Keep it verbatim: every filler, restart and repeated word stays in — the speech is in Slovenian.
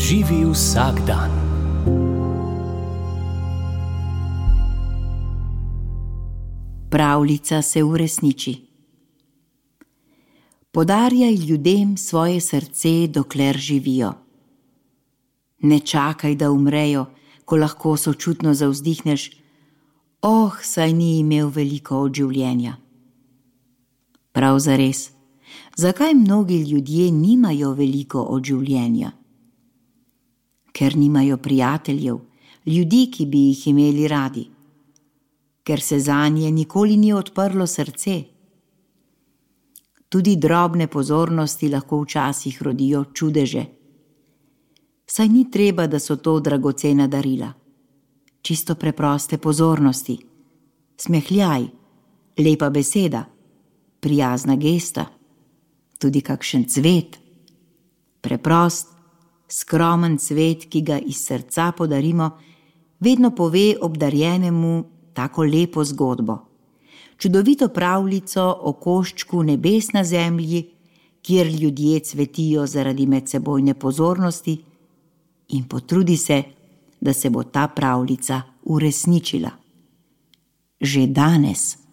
Živi vsak dan. Pravljica se uresniči. Podarjaj ljudem svoje srce, dokler živijo. Ne čakaj, da umrejo, ko lahko sočutno zavzdihneš: oh, saj ni imel veliko od življenja. Prav zares, zakaj mnogi ljudje nimajo veliko od življenja? Ker nimajo prijateljev, ljudi, ki bi jih imeli radi. Ker se zanje nikoli ni odprlo srce. Tudi drobne pozornosti lahko včasih rodijo čudeže. Saj ni treba, da so to dragocena darila. Čisto preproste pozornosti, smehljaj, lepa beseda, prijazna gesta, tudi kakšen cvet. Preprost, skromen cvet, ki ga iz srca podarimo, vedno pove obdarjenemu tako lepo zgodbo, čudovito pravljico o koščku nebes na zemlji, kjer ljudje cvetijo zaradi medsebojne pozornosti, in potrudi se, da se bo ta pravljica uresničila. Že danes.